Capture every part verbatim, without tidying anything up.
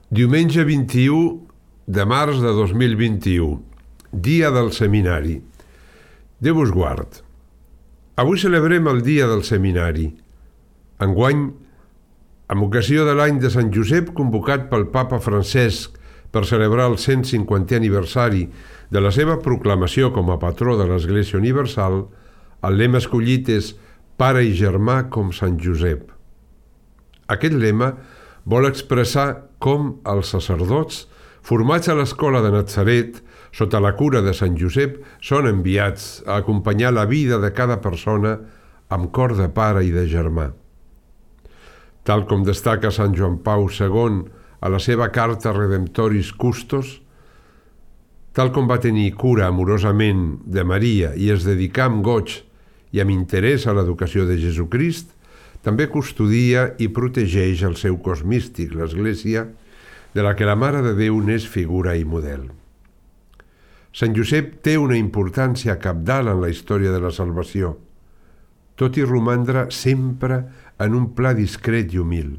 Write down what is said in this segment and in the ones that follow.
Diumenge vint-i-u de març de dos mil vint-i-u, dia del seminari. Déu us guard. Avui celebrem el dia del seminari. Enguany, amb ocasió de l'any de Sant Josep, convocat pel Papa Francesc per celebrar el cent cinquantè aniversari de la seva proclamació com a patró de l'Església Universal, el lema escollit és Pare i germà com Sant Josep. Aquest lema vol expressar com els sacerdots, formats a l'escola de Natzaret, sota la cura de Sant Josep, són enviats a acompanyar la vida de cada persona amb cor de pare i de germà. Tal com destaca Sant Joan Pau segon a la seva carta Redemptoris Custos, tal com va tenir cura amorosament de Maria i es dedicà amb goig i amb interès a l'educació de Jesucrist, també custodia i protegeix el seu cos místic, l'Església, de la que la Mare de Déu n'és figura i model. Sant Josep té una importància cabdal en la història de la salvació, tot i romandre sempre en un pla discret i humil.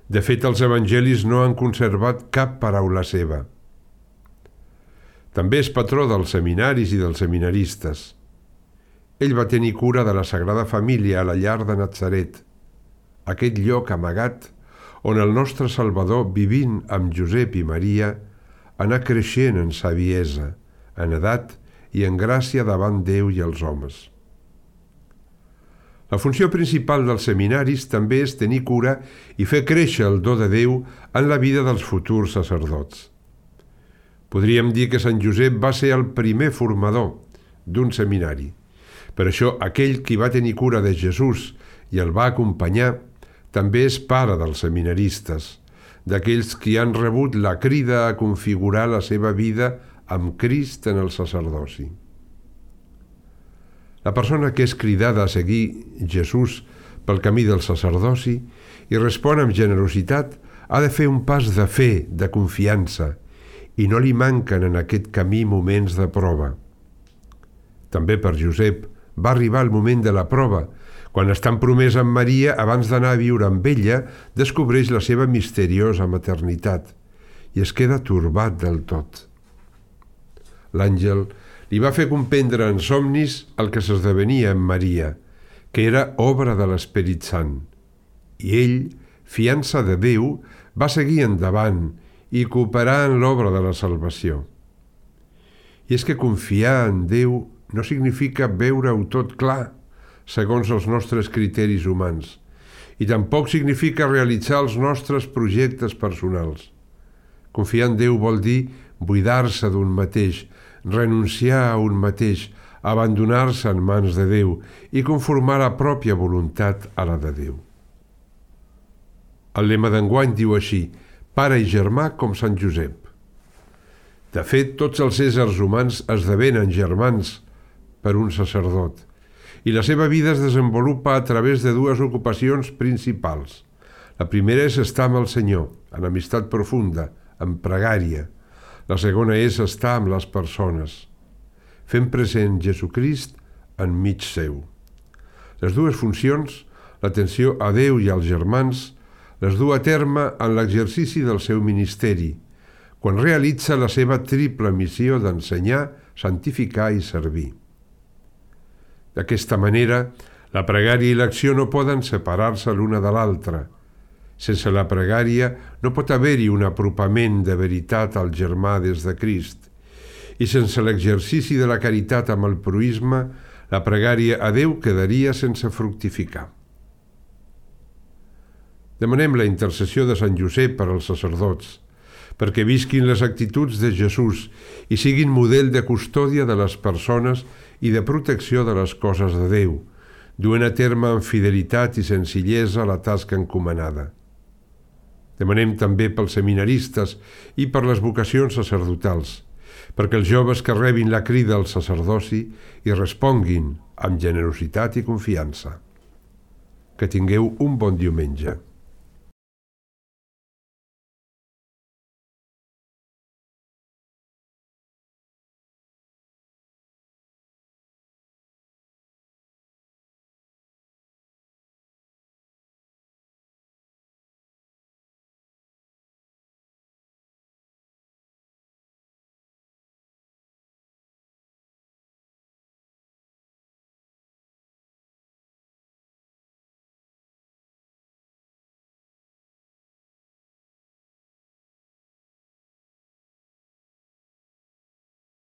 De fet, els evangelis no han conservat cap paraula seva. També és patró dels seminaris i dels seminaristes. Ell va tenir cura de la Sagrada Família a la llar de Natzaret, aquest lloc amagat on el nostre Salvador, vivint amb Josep i Maria, anà creixent en saviesa, en edat i en gràcia davant Déu i els homes. La funció principal dels seminaris també és tenir cura i fer créixer el do de Déu en la vida dels futurs sacerdots. Podríem dir que Sant Josep va ser el primer formador d'un seminari. Per això, aquell qui va tenir cura de Jesús i el va acompanyar també és pare dels seminaristes, d'aquells qui han rebut la crida a configurar la seva vida amb Crist en el sacerdoci. La persona que és cridada a seguir Jesús pel camí del sacerdoci i respon amb generositat ha de fer un pas de fe, de confiança, i no li manquen en aquest camí moments de prova. També per Josep va arribar el moment de la prova, quan estant promès amb Maria, abans d'anar a viure amb ella, descobreix la seva misteriosa maternitat i es queda turbat del tot. L'àngel li va fer comprendre en somnis el que s'esdevenia en Maria, que era obra de l'Esperit Sant, i ell, fiança de Déu, va seguir endavant i cooperar en l'obra de la salvació. I és que confiar en Déu no significa veure-ho tot clar, segons els nostres criteris humans, i tampoc significa realitzar els nostres projectes personals. Confiar en Déu vol dir buidar-se d'un mateix, renunciar a un mateix, abandonar-se en mans de Déu i conformar la pròpia voluntat a la de Déu. El lema d'enguany diu així: Pare i germà com Sant Josep. De fet, tots els éssers humans esdevenen germans per un sacerdot, i la seva vida es desenvolupa a través de dues ocupacions principals. La primera és estar amb el Senyor, en amistat profunda, en pregària. La segona és estar amb les persones, fent present Jesucrist enmig seu. Les dues funcions, l'atenció a Déu i als germans, les du a terme en l'exercici del seu ministeri, quan realitza la seva triple missió d'ensenyar, santificar i servir. D'aquesta manera, la pregària i l'acció no poden separar-se l'una de l'altra. Sense la pregària no pot haver-hi un apropament de veritat al germà des de Crist. I sense l'exercici de la caritat amb el proïsme, la pregària a Déu quedaria sense fructificar. Demanem la intercessió de Sant Josep per als sacerdots, perquè visquin les actituds de Jesús i siguin model de custòdia de les persones i de protecció de les coses de Déu, duent a terme amb fidelitat i senzillesa la tasca encomanada. Demanem també pels seminaristes i per les vocacions sacerdotals, perquè els joves que rebin la crida al sacerdoci hi responguin amb generositat i confiança. Que tingueu un bon diumenge.